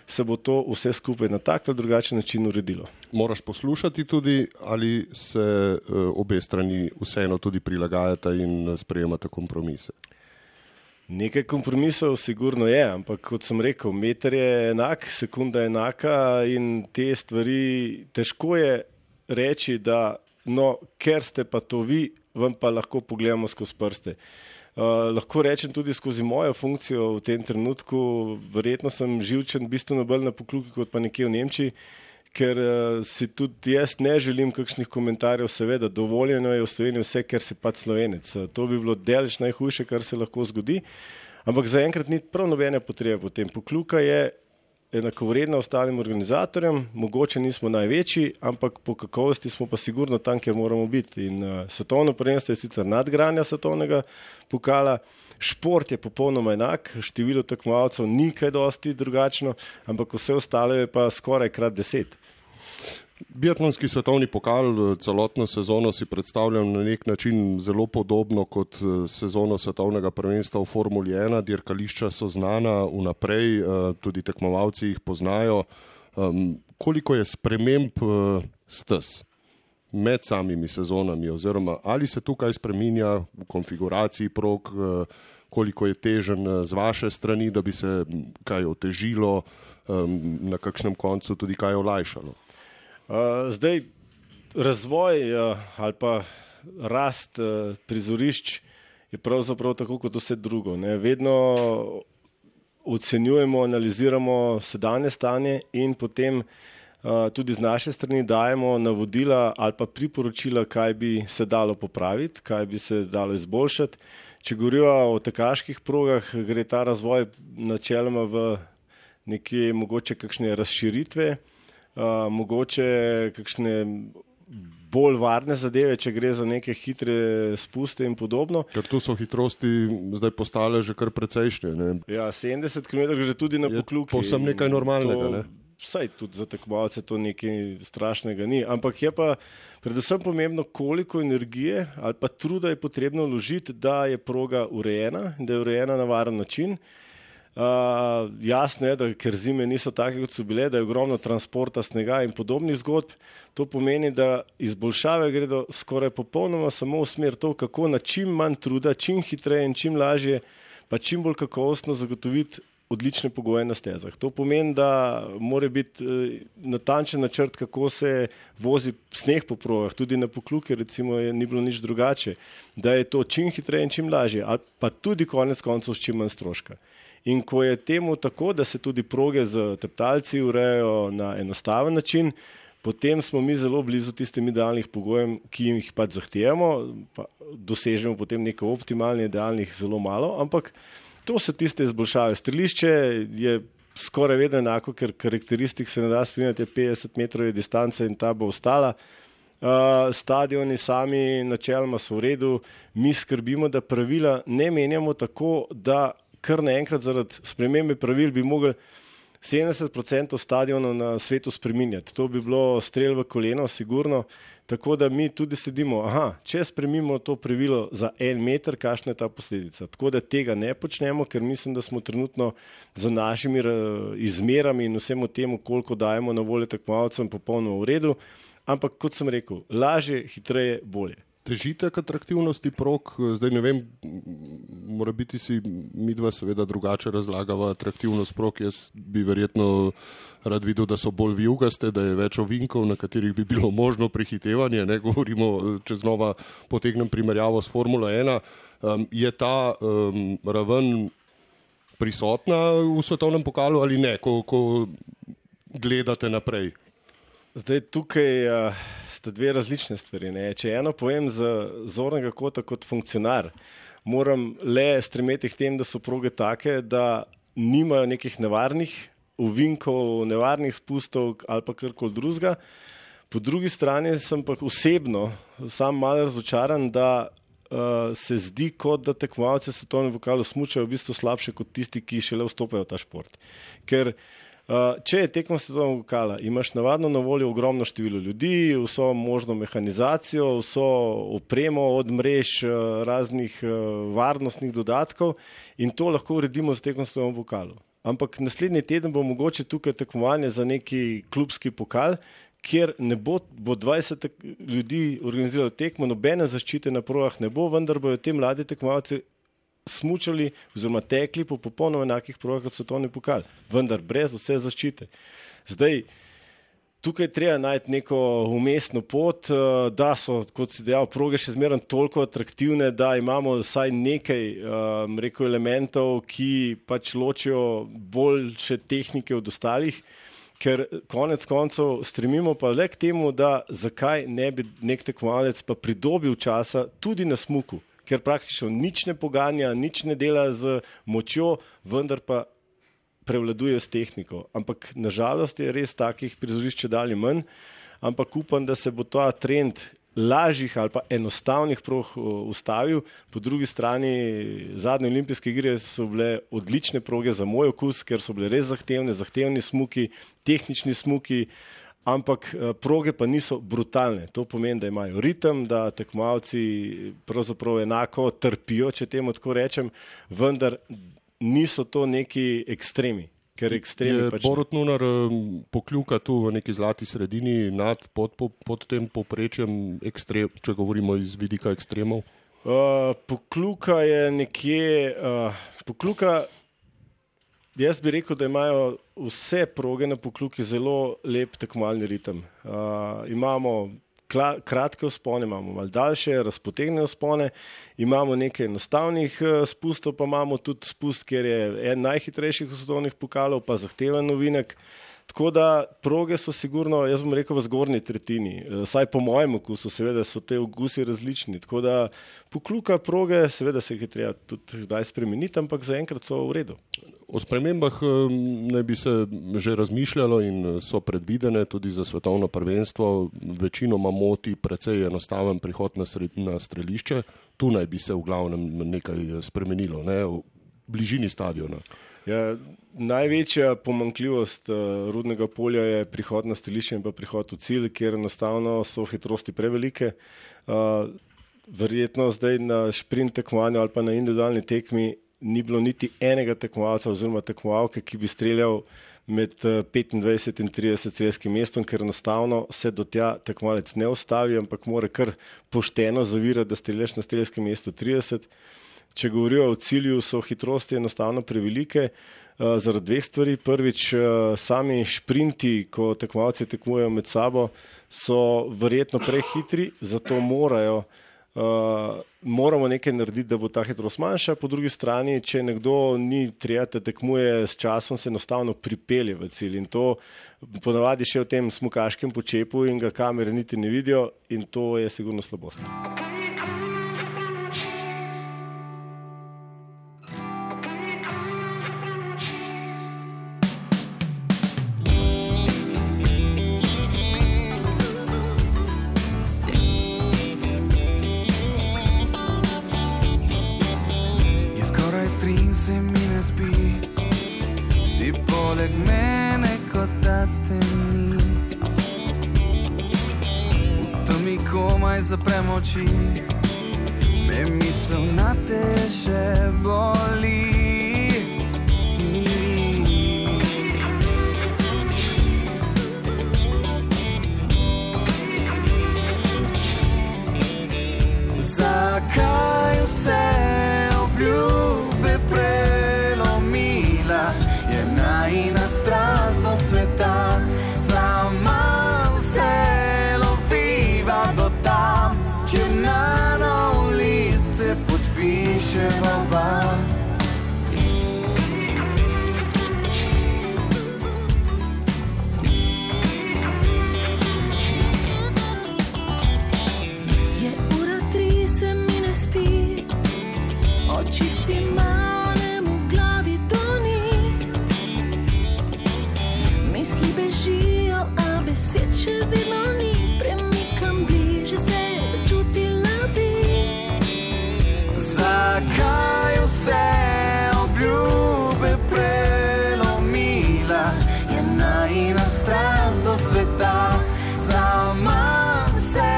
se bo to vse skupaj na tak ali drugačen način uredilo. Moraš poslušati tudi, ali se obe strani vseeno tudi prilagajata in sprejemata kompromise? Nekaj kompromisov sigurno je, ampak kot sem rekel, meter je enak, sekunda je enaka in te stvari težko je reči, da ker ste pa to vi, vam pa lahko pogledamo skozi prste. Lahko rečem tudi skozi mojo funkcijo v tem trenutku, verjetno sem živčen bistveno bolj na Pokljuki kot pa nekje v Nemčiji, ker si tudi jaz ne želim kakšnih komentarjev, seveda dovoljeno je v Sloveniji vse, ker si pač Slovenec. To bi bilo daleč najhujše, kar se lahko zgodi, ampak zaenkrat ni prav nobene potrebe potem. Pokljuka je enakovredna ostalim organizatorjem, mogoče nismo največji, ampak po kakovosti smo pa sigurno tam, kjer moramo biti. In svetovno prvenstvo je sicer nadgradnja svetovnega pokala, šport je popolnoma enak, število tekmovalcev ni kaj dosti drugačno, ampak vse ostalo je pa skoraj krat 10. Biatlonski svetovni pokal celotno sezono si predstavljam na nek način zelo podobno kot sezono svetovnega prvenstva v Formuli 1. Dirkališča so znana vnaprej, tudi tekmovalci jih poznajo. Koliko je sprememb stez med samimi sezonami oziroma ali se tukaj spreminja v konfiguraciji prog, koliko je težen z vaše strani, da bi se kaj otežilo, na kakšnem koncu tudi kaj olajšalo? Zdaj, razvoj ali pa rast prizorišč je pravzaprav tako kot vse drugo. Vedno ocenjujemo, analiziramo sedanje stanje in potem tudi z naše strani dajemo navodila ali pa priporočila, kaj bi se dalo popraviti, kaj bi se dalo izboljšati. Če govorijo o tekaških progah, gre ta razvoj načeloma v nekje mogoče kakšne razširitve, mogoče kakšne bolj varne zadeve, če gre za neke hitre spuste in podobno. Ker tu so hitrosti zdaj postale že kar precejšnje. Ne? Ja, 70 km gre tudi na Pokljuki. Povsem nekaj normalnega. Ne? Vsaj tudi za tekmovalce to nekaj strašnega ni. Ampak je pa predvsem pomembno, koliko energije ali pa truda je potrebno vložiti, da je proga urejena, da je urejena na varen način. Jasno je, da ker zime niso take, kot so bile, da je ogromno transporta snega in podobnih zgodb. To pomeni, da izboljšave gredo skoraj popolnoma samo v smer to, kako na čim manj truda, čim hitreje in čim lažje, pa čim bolj kakovostno zagotoviti odlične pogoje na stezah. To pomeni, da mora biti natančen načrt, kako se vozi sneg po progah, tudi na Pokljuki recimo ni bilo nič drugače, da je to čim hitreje in čim lažje, ali pa tudi konec koncev s čim manj stroška. In ko je temu tako, da se tudi proge z teptalci urejajo na enostaven način, potem smo mi zelo blizu tistim idealnih pogojem, ki jih pač zahtevamo, pa dosežemo potem nekaj optimalnih, idealnih zelo malo, ampak to so tiste izboljšave. Strelišče je skoraj vedno enako, ker karakteristik se ne da spremljati, 50 metrov je distance in ta bo ostala. Stadioni sami načeloma so v redu, mi skrbimo, da pravila ne menjamo tako, da kar naenkrat zaradi spremembe pravil bi mogli 70% stadionov na svetu spreminjati. To bi bilo strel v koleno, sigurno. Tako da mi tudi sledimo, če spremimo to pravilo za 1 meter, kakšna je ta posledica. Tako da tega ne počnemo, ker mislim, da smo trenutno z našimi izmerami in vsemu temu, koliko dajemo na voljo tekmovalcem, popolnoma v redu. Ampak kot sem rekel, lažje, hitreje, bolje. Težite k atraktivnosti prog, zdaj ne vem, mora biti si midva seveda drugače razlagava atraktivnost prog, jaz bi verjetno rad videl, da so bolj vijugaste, da je več ovinkov, na katerih bi bilo možno prehitevanje, ne govorimo, če znova potegnem primerjavo s Formula 1, je ta raven prisotna v svetovnem pokalu ali ne, ko gledate naprej? Zdaj tukaj sta dve različne stvari. Ne? Če eno povem z zornega kota kot funkcionar, moram le stremeti k tem, da so proge take, da nimajo nekih nevarnih ovinkov, nevarnih spustov ali pa karkoli drugega. Po drugi strani sem pa osebno sam malo razočaran, da se zdi, kot da tekmovalci v svetovnem pokalu smučajo v bistvu slabše kot tisti, ki šele vstopajo v ta šport. Ker če je tekmo svetovnega pokala, imaš navadno na voljo ogromno število ljudi, vso možno mehanizacijo, vso opremo od mrež, raznih varnostnih dodatkov in to lahko uredimo z tekmo svetovnega pokala. Ampak naslednji teden bo mogoče tukaj tekmovanje za neki klubski pokal, kjer ne bo 20 ljudi organiziralo tekmo, nobene zaščite na progah ne bo, vendar bojo te mladi tekmovalci smučali oziroma tekli po popolnoma enakih progah kot svetovni pokal, vendar brez vse zaščite. Zdaj, tukaj treba najti neko umestno pot, da so, kot si dejal, proge še zmeraj toliko atraktivne, da imamo vsaj nekaj elementov, ki pač ločijo boljše tehnike od ostalih, ker konec koncev stremimo pa le k temu, da zakaj ne bi nek tekmovalec pa pridobil časa tudi na smuku, ker praktično nič ne poganja, nič ne dela z močjo, vendar pa prevladuje s tehniko. Ampak nažalost je res takih prizorišč dalje manj, ampak upam, da se bo ta trend lažjih ali pa enostavnih prog ustavil. Po drugi strani zadnje olimpijske igre so bile odlične proge za moj okus, ker so bile res zahtevni smuki, tehnični smuki, ampak proge pa niso brutalne. To pomeni, da imajo ritem, da tekmovalci pravzaprav enako trpijo, če temu tako rečem, vendar niso to neki ekstremi. Ker ekstremi pač... Borut Nunar pokljuka tu v neki zlati sredini pod tem povprečjem, če govorimo iz vidika ekstremov? Pokljuka je nekje... Jaz bi rekel, da imajo vse proge na Pokljuki zelo lep tekmovalni ritem. Imamo kratke vzpone, imamo malo daljše, razpotegnjene vzpone, imamo nekaj enostavnih spustov, pa imamo tudi spust, kjer je en najhitrejših svetovnih pokalov, pa zahteven novinek. Tako da proge so sigurno, jaz bom rekel, v zgornji tretjini. Saj po mojem okusu, seveda so te okusi različni. Tako da pokluka proge, seveda se jih je treba tudi kdaj spremeniti, ampak zaenkrat so v redu. O spremembah naj bi se že razmišljalo in so predvidene tudi za svetovno prvenstvo. Večinoma moti precej enostaven prihod na strelišče. Tu naj bi se v glavnem nekaj spremenilo, ne? V bližini stadiona. Ja, največja pomanjkljivost Rudnega polja je prihod na strelišče in pa prihod v cilj, kjer enostavno so hitrosti prevelike. Verjetno zdaj na šprint tekmovanju ali pa na individualni tekmi ni bilo niti enega tekmovalca oziroma tekmovalke, ki bi streljal med 25 in 30 strelskim mestom, ker enostavno se do tja tekmovalec ne ustavi, ampak mora kar pošteno zavirati, da streljaš na strelskem mestu 30. Če govorijo o cilju, so hitrosti enostavno prevelike zaradi dveh stvari. Prvič, sami šprinti, ko tekmovalci tekmujejo med sabo, so verjetno prehitri, zato moramo nekaj narediti, da bo ta hitrost manjša. Po drugi strani, če nekdo ni trijate tekmuje s časom, se enostavno pripelje v cilj in to ponavadi še v tem smukaškem počepu in ga kamere niti ne vidijo in to je sigurno slabost. Poleg mene, kot da te ni. V temi komaj zaprem oči, me misel na te še boli. Zakaj vse obljube prelomila? Najina strast do sveta, sama se loviva do tam, kjer na nov list se podpiševa oba. Je ura 3, se mi ne spi, oči si malem v glavi doni. Misli bežijo, a besed še vedno ni. Premikam bliže se, čutila bi. Zakaj vse obljube prelomila? Je najina strast do sveta, sama se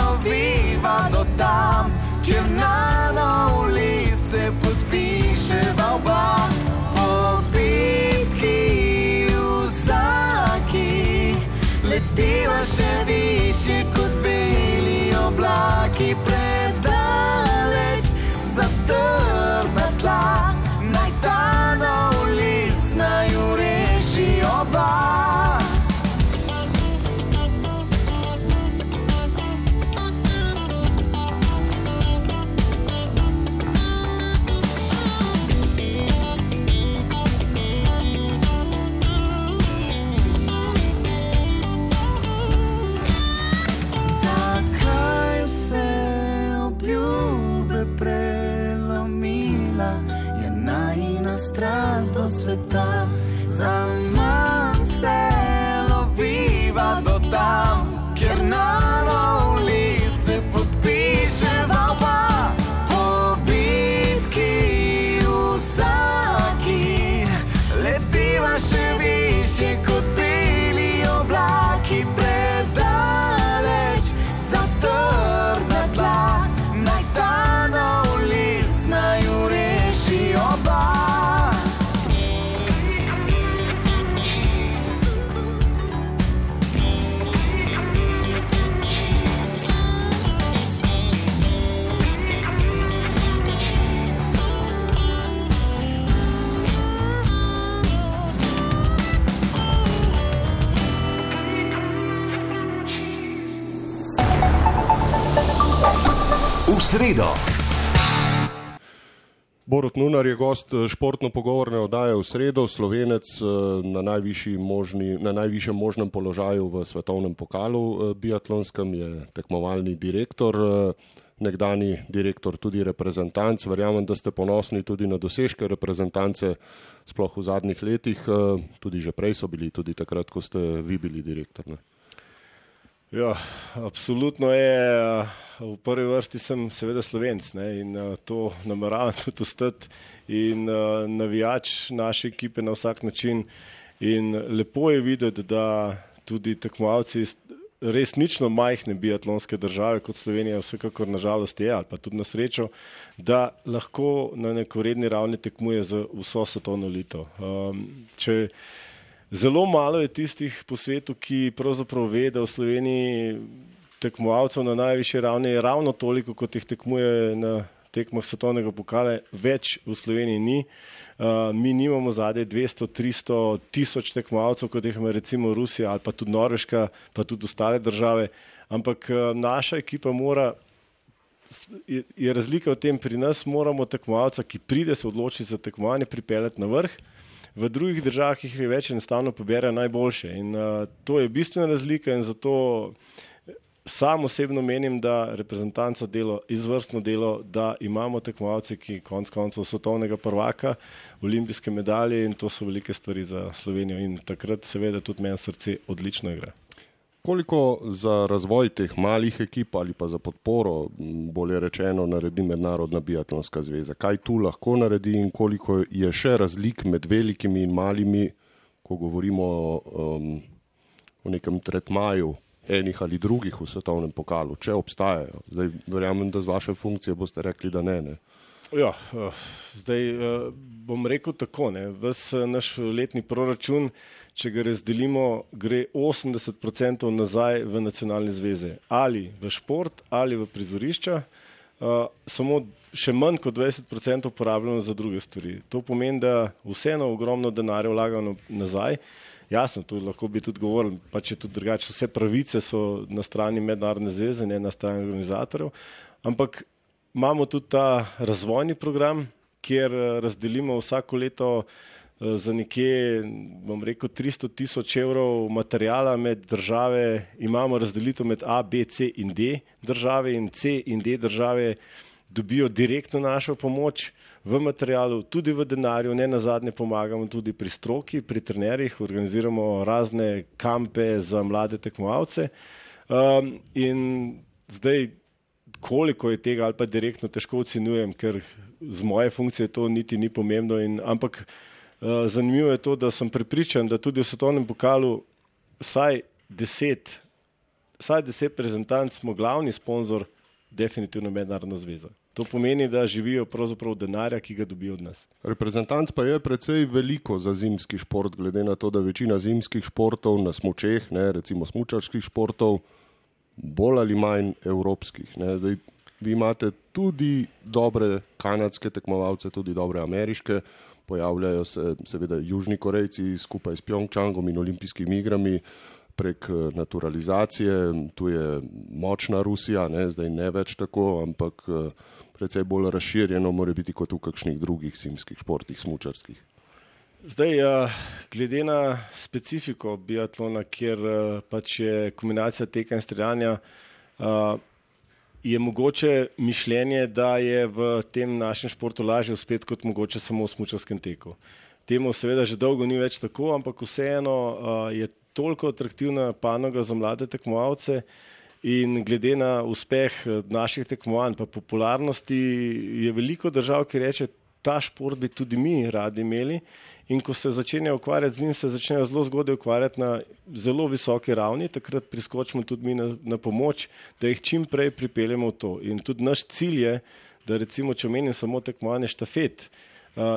oviva do tam, kjer na nov list se podpiševa oba. Letiva še više kot beli oblaki, predaleč za trdna tla. Naj ta nov list naju reši oba. Strast do sveta, zaman se loviva do tam, kjer na nov list se podpiševa oba. Po bitki vsaki letiva še više kot beli oblaki, predaleč za trdna tla. Naj ta nov list naju reši oba. V sredo. Borut Nunar je gost športno-pogovorne oddaje v sredo, Slovenec na najvišjem možnem položaju v svetovnem pokalu biatlonskem, je tekmovalni direktor, nekdani direktor tudi reprezentanc. Verjamem, da ste ponosni tudi na dosežke reprezentance, sploh v zadnjih letih, tudi že prej so bili, tudi takrat, ko ste vi bili direktor, ne? Ja, absolutno je. V prvi vrsti sem seveda Slovenc, ne, in to nameravam tudi ostati in navijač naše ekipe na vsak način. In lepo je videti, da tudi tekmovalci resnično majhne biatlonske države, kot Slovenija vsekakor nažalost je, ali pa tudi na srečo, da lahko na nekoredni ravni tekmuje za vso svetovno elito. Zelo malo je tistih po svetu, ki pravzaprav ve, da v Sloveniji tekmovalcev na najvišji ravni je ravno toliko, kot jih tekmuje na tekmah svetovnega pokala, več v Sloveniji ni. Mi nimamo zadaj 200, 300 tisoč tekmovalcev, kot jih ima recimo Rusija ali pa tudi Norveška, pa tudi ostale države, ampak naša ekipa je razlika v tem, pri nas moramo tekmovalca, ki pride se odloči za tekmovanje, pripeljati na vrh. V drugih državah jih je več, enostavno poberajo najboljše in to je bistvena razlika in zato sam osebno menim, da reprezentanca delo, izvrstno delo, da imamo tekmovalce, ki konec koncev svetovnega prvaka, olimpijske medalje in to so velike stvari za Slovenijo in takrat seveda tudi meni srce odlično igra. Koliko za razvoj teh malih ekip ali pa za podporo, bolje rečeno, naredi Mednarodna biatlonska zveza? Kaj tu lahko naredi in koliko je še razlik med velikimi in malimi, ko govorimo o nekem tretmaju enih ali drugih v svetovnem pokalu, če obstajajo? Zdaj verjamem, da z vaše funkcije boste rekli, da ne. Ja, zdaj bom rekel tako, ne. Ves naš letni proračun, če ga razdelimo, gre 80% nazaj v nacionalne zveze. Ali v šport, ali v prizorišča. Samo še manj kot 20% uporabljamo za druge stvari. To pomeni, da vseeno ogromno denarja vlagamo nazaj. Jasno, tu lahko bi tudi govorili, pa če tudi drugače, vse pravice so na strani Mednarodne zveze, ne na strani organizatorjev, ampak imamo tudi ta razvojni program, kjer razdelimo vsako leto za nekje, bom rekel, 300 000 evrov materijala med države, imamo razdelitev med A, B, C in D države in C in D države dobijo direktno našo pomoč v materialu, tudi v denarju, ne nazadnje pomagamo tudi pri stroki, pri trenerjih, organiziramo razne kampe za mlade tekmovalce in zdaj koliko je tega ali pa direktno težko ocenjujem, ker z moje funkcije to niti ni pomembno, ampak zanimivo je to, da sem prepričan, da tudi v svetovnem pokalu vsaj 10 reprezentanc smo glavni sponzor definitivno Mednarodna zveza. To pomeni, da živijo pravzaprav denarja, ki ga dobijo od nas. Reprezentanc pa je precej veliko za zimski šport, glede na to, da večina zimskih športov na smučeh, ne, recimo smučarskih športov, bolj ali manj evropskih. Ne. Zdaj, vi imate tudi dobre kanadske tekmovalce, tudi dobre ameriške, pojavljajo se seveda Južni Korejci skupaj s Pjongčangom in olimpijskimi igrami prek naturalizacije. Tu je močna Rusija, ne, zdaj ne več tako, ampak precej bolj razširjeno mora biti kot v kakšnih drugih zimskih športih, smučarskih. Zdaj, glede na specifiko biatlona, kjer pač je kombinacija teka in streljanja, je mogoče mišljenje, da je v tem našem športu lažje uspeti kot mogoče samo v smučarskem teku. Temu seveda že dolgo ni več tako, ampak vseeno je toliko atraktivna panoga za mlade tekmovalce in glede na uspeh naših tekmovanj pa popularnosti je veliko držav, ki reče, ta šport bi tudi mi radi imeli in ko se začenjajo ukvarjati z njim, se začnejo zelo zgodaj ukvarjati na zelo visoki ravni, takrat priskočimo tudi mi na pomoč, da jih čim prej pripeljemo v to. In tudi naš cilj je, da recimo, če omenim samo tekmovanje štafet,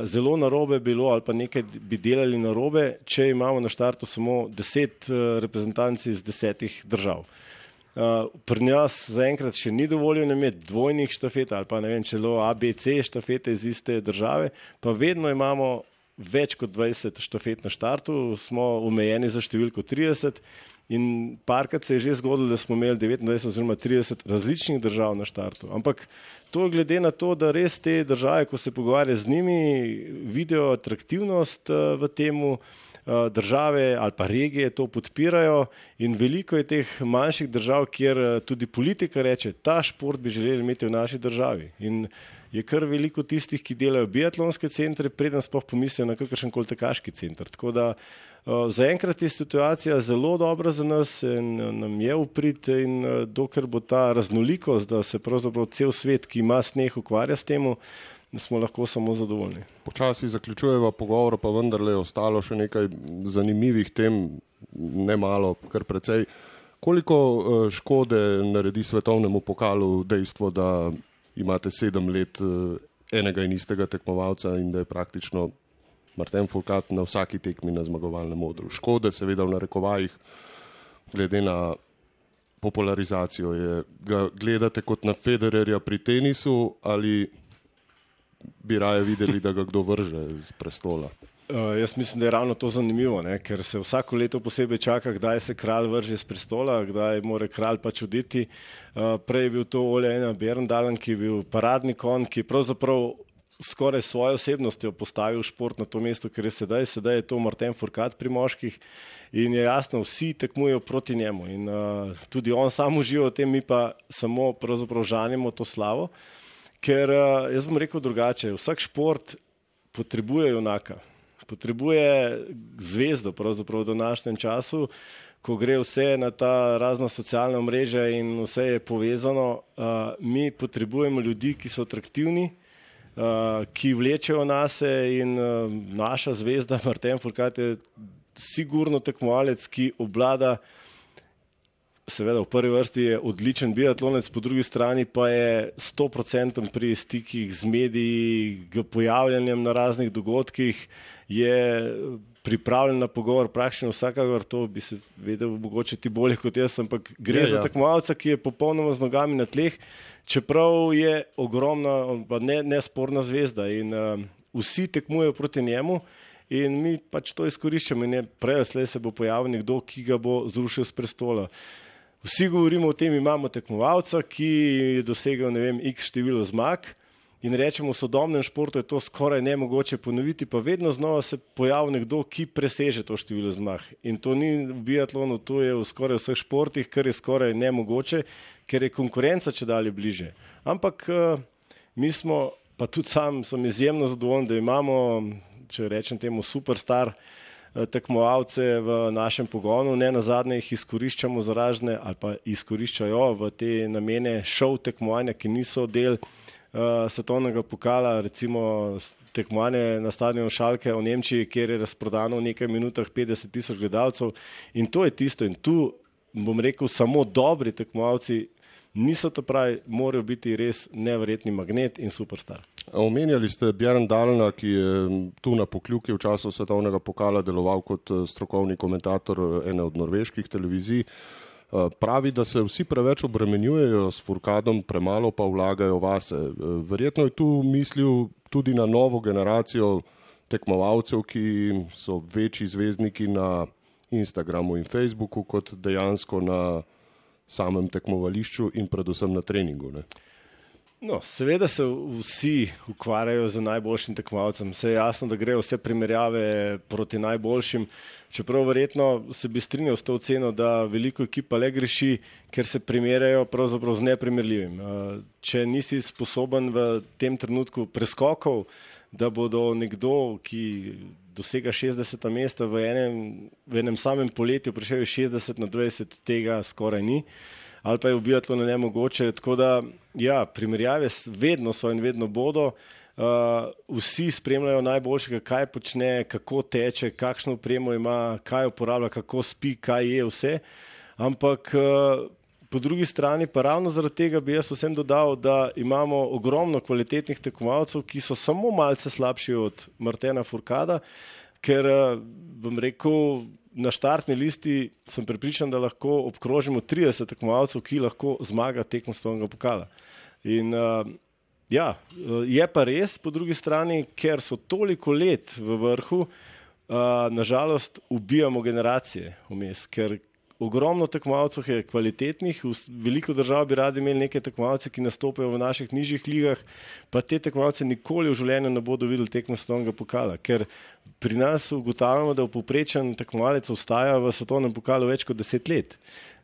zelo narobe bilo ali pa nekaj bi delali narobe, če imamo na štartu samo 10 reprezentanci iz 10 držav. Pri nas zaenkrat še ni dovoljeno imeti dvojnih štafet ali pa ne vem, celo ABC štafete iz iste države, pa vedno imamo več kot 20 štafet na štartu, smo omejeni za številko 30 In parkrat se je že zgodilo, da smo imeli 29 oziroma 30 različnih držav na štartu. Ampak to je glede na to, da res te države, ko se pogovarja z njimi, vidijo atraktivnost v temu, države ali pa regije to podpirajo in veliko je teh manjših držav, kjer tudi politika reče, ta šport bi želeli imeti v naši državi. In je kar veliko tistih, ki delajo biatlonske centre, preden sploh pomislijo na kakršenkoli tekaški center. Tako da zaenkrat je situacija zelo dobra za nas in nam je v prid in dokler bo ta raznolikost, da se pravzaprav cel svet, ki ima sneh, ukvarja s temu, smo lahko samo zadovoljni. Počasi zaključujeva pogovor, pa vendarle je ostalo še nekaj zanimivih tem, ne malo, kar precej. Koliko škode naredi svetovnemu pokalu dejstvo, da imate 7 let enega in istega tekmovalca in da je praktično Martin Fourcade na vsaki tekmi na zmagovalnem odru? Škode seveda v narekovajih, glede na popularizacijo, ga gledate kot na Federerja pri tenisu ali bi raje videli, da ga kdo vrže z prestola? Jaz mislim, da je ravno to zanimivo, ne? Ker se vsako leto posebej čaka, kdaj se kralj vrže z prestola, kdaj mora kralj pač oditi. Prej je bil to Ole Einar Bjørndalen, ki je bil paradni konj, ki je pravzaprav skoraj svojo osebnostjo postavil šport na to mesto, ker je sedaj je to Martin Fourcade pri moških in je jasno, vsi tekmujejo proti njemu in tudi on sam uživa v tem, mi pa samo pravzaprav žanimo to slavo, ker jaz bom rekel drugače, vsak šport potrebuje junaka. Potrebuje zvezdo pravzaprav v današnjem času, ko gre vse na ta razna socialna omrežja in vse je povezano. Mi potrebujemo ljudi, ki so atraktivni, ki vlečejo nase in naša zvezda Martin Fourcade je sigurno tekmovalec, ki obvlada, seveda v prvi vrsti je odličen biatlonec, po drugi strani pa je 100% pri stikih z mediji, pojavljanjem na raznih dogodkih, je pripravljen na pogovor praktično vsakakor, to bi se vedel mogoče ti bolje kot jaz, ampak gre za tekmovalca, ki je popolnoma z nogami na tleh, čeprav je ogromna, nesporna zvezda in vsi tekmujejo proti njemu in mi pač to izkoriščamo in prej slej se bo pojavil nekdo, ki ga bo zrušil s prestola. Vsi govorimo o tem, imamo tekmovalca, ki je dosegel, x število zmag in rečemo, v sodobnem športu je to skoraj nemogoče ponoviti, pa vedno znova se pojavi nekdo, ki preseže to število zmag. In to ni v biatlonu, to je v skoraj vseh športih, kar je skoraj nemogoče, ker je konkurenca čedalje bliže. Ampak mi smo, pa tudi sam sem izjemno zadovoljen, da imamo, če rečem temu, superstar tekmovalce v našem pogonu, ne nazadnje jih izkoriščamo za razne ali pa izkoriščajo v te namene šov tekmovanja, ki niso del svetovnega pokala, recimo tekmovanje na stadionu Schalke v Nemčiji, kjer je razprodano v nekaj minutah 50,000 gledalcev in to je tisto in tu bom rekel, samo dobri tekmovalci niso to pravi, morajo biti res neverjetni magnet in superstar. Omenjali ste Bjørndalena, ki je tu na Pokljuki v času svetovnega pokala deloval kot strokovni komentator ene od norveških televizij. Pravi, da se vsi preveč obremenjujejo s Fourcadom, premalo pa vlagajo vase. Verjetno je tu mislil tudi na novo generacijo tekmovalcev, ki so večji zvezdniki na Instagramu in Facebooku kot dejansko na samem tekmovališču in predvsem na treningu, ne? No, seveda se vsi ukvarjajo z najboljšim tekmovalcem. Vse je jasno, da grejo vse primerjave proti najboljšim, čeprav verjetno se bi strinjal s to oceno, da veliko ekipa le greši, ker se primerjajo pravzaprav z neprimerljivim. Če nisi sposoben v tem trenutku preskokov, da bodo nekdo, ki dosega 60. mesta v enem samem poletju, prišel 60 na 20, tega skoraj ni. Ali pa je v biatlonu nemogoče, tako da ja, primerjave vedno so in vedno bodo, vsi spremljajo najboljšega, kaj počne, kako teče, kakšno opremo ima, kaj uporablja, kako spi, kaj je vse, ampak po drugi strani pa ravno zaradi tega bi jaz vsem dodal, da imamo ogromno kvalitetnih tekmovalcev, ki so samo malce slabši od Martina Fourcada, ker bom rekel, na štartni listi sem prepričan, da lahko obkrožimo 30 tekmovalcev, ki lahko zmaga tekmo svetovnega pokala. In ja, je pa res po drugi strani, ker so toliko let v vrhu, nažalost ubijamo generacije vmes, ker ogromno tekmovalcev je kvalitetnih, veliko držav bi radi imeli neke tekmovalce, ki nastopajo v naših nižjih ligah, pa te tekmovalce nikoli v življenju ne bodo videli tekmo svetovnega pokala, ker pri nas ugotavljamo, da povprečen tekmovalec ostaja v svetovnem pokalu več kot 10 let.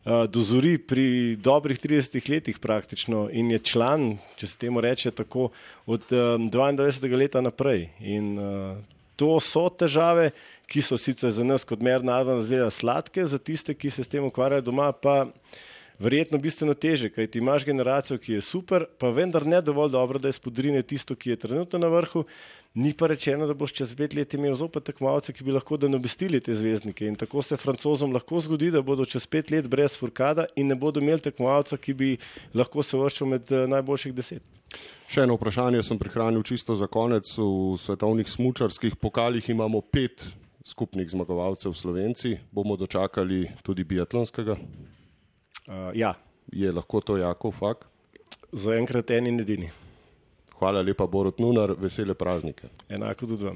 Dozori pri dobrih 30 letih praktično in je član, če se temu reče tako, od 22. leta naprej. In to so težave, ki so sicer za nas kot mednarodna zveza sladke, za tiste, ki se s tem ukvarjajo doma, pa verjetno bistveno teže, kajti imaš generacijo, ki je super, pa vendar ne dovolj dobro, da izpodrine tisto, ki je trenutno na vrhu, ni pa rečeno, da boš čez 5 let imel zopet tekmovalce, ki bi lahko nadomestili te zvezdnike. In tako se Francozom lahko zgodi, da bodo čez 5 let brez Fourcada in ne bodo imeli tekmovalca, ki bi lahko se uvrščal med najboljših 10. Še eno vprašanje sem prihranil čisto za konec. V svetovnih smučarskih pokalih imamo 5 skupnih zmagovalcev Slovenci. Bomo dočakali tudi biatlonskega? Ja. Je lahko to Jakov Fak? Zaenkrat en in edini. Hvala lepa, Borut Nunar, vesele praznike. Enako tudi vam.